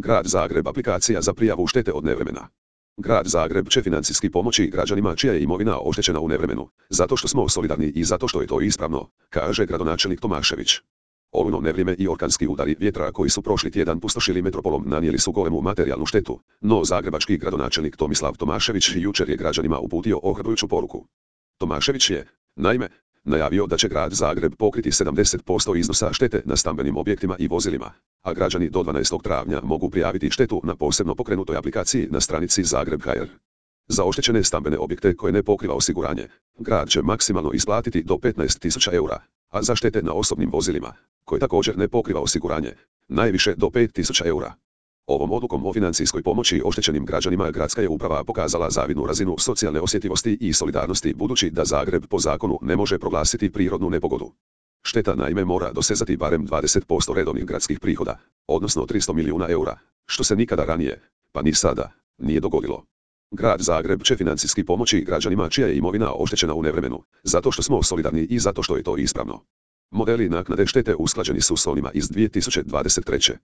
Grad Zagreb aplikacija za prijavu štete od nevremena. Grad Zagreb će financijski pomoći građanima čija je imovina oštećena u nevremenu, zato što smo solidarni i zato što je to ispravno, kaže gradonačelnik Tomašević. Olujno nevrijeme i orkanski udari vjetra koji su prošli tjedan pustošili metropolom nanijeli su golemu materijalnu štetu, no zagrebački gradonačelnik Tomislav Tomašević jučer je građanima uputio ohrabrujuću poruku. Tomašević je, naime, najavio da će grad Zagreb pokriti 70% iznosa štete na stambenim objektima i vozilima, a građani do 12. travnja mogu prijaviti štetu na posebno pokrenutoj aplikaciji na stranici Zagreb.hr. Za oštećene stambene objekte koje ne pokriva osiguranje, grad će maksimalno isplatiti do 15.000 eura, a za štete na osobnim vozilima, koje također ne pokriva osiguranje, najviše do 5.000 eura. Ovom odlukom o financijskoj pomoći oštećenim građanima gradska je uprava pokazala zavidnu razinu socijalne osjetljivosti i solidarnosti budući da Zagreb po zakonu ne može proglasiti prirodnu nepogodu. Šteta naime mora dosezati barem 20% redovnih gradskih prihoda, odnosno 300 milijuna eura, što se nikada ranije, pa ni sada, nije dogodilo. Grad Zagreb će financijski pomoći građanima čija je imovina oštećena u nevremenu, zato što smo solidarni i zato što je to ispravno. Modeli naknade štete usklađeni su s onima iz 2023.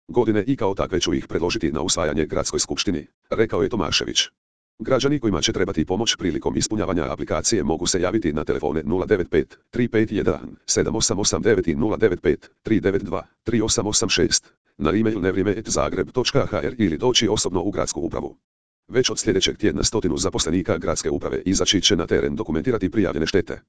godine i kao takve ću ih predložiti na usvajanje gradskoj skupštini, rekao je Tomašević. Građani kojima će trebati pomoć prilikom ispunjavanja aplikacije mogu se javiti na telefone 095 351 7889 i 095 392 3886, na e-mail nevrijeme@zagreb.hr ili doći osobno u gradsku upravu. Već od sljedećeg tjedna 100 zaposlenika gradske uprave izaći će na teren dokumentirati prijavljene štete.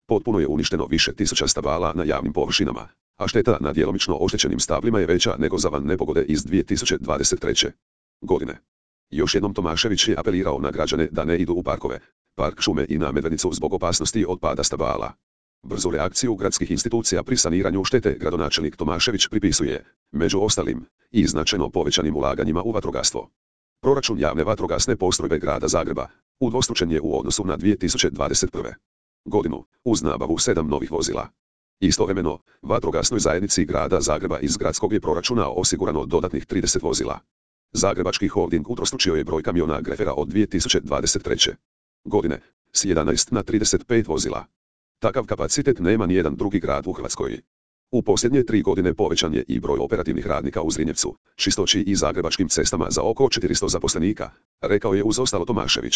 Potpuno je uništeno više tisuća stabala na javnim površinama, a šteta na djelomično oštećenim stablima je veća nego za van nepogode iz 2023. godine. Još jednom Tomašević je apelirao na građane da ne idu u parkove, park šume i na Medvednicu zbog opasnosti od pada stabala. Brzu reakciju gradskih institucija pri saniranju štete gradonačelnik Tomašević pripisuje, među ostalim, i značajno povećanim ulaganjima u vatrogastvo. Proračun javne vatrogasne postrojbe grada Zagreba udvostručen je u odnosu na 2021. godinu, uz nabavu 7 novih vozila. Istovremeno, vatrogasnoj zajednici grada Zagreba iz gradskog je proračuna osigurano dodatnih 30 vozila. Zagrebački holding utrostručio je broj kamiona Grefera od 2023. godine, s 11 na 35 vozila. Takav kapacitet nema nijedan drugi grad u Hrvatskoj. U posljednje 3 godine povećan je i broj operativnih radnika u Zrinjevcu, Čistoći i Zagrebačkim cestama za oko 400 zaposlenika, rekao je uz ostalo Tomašević.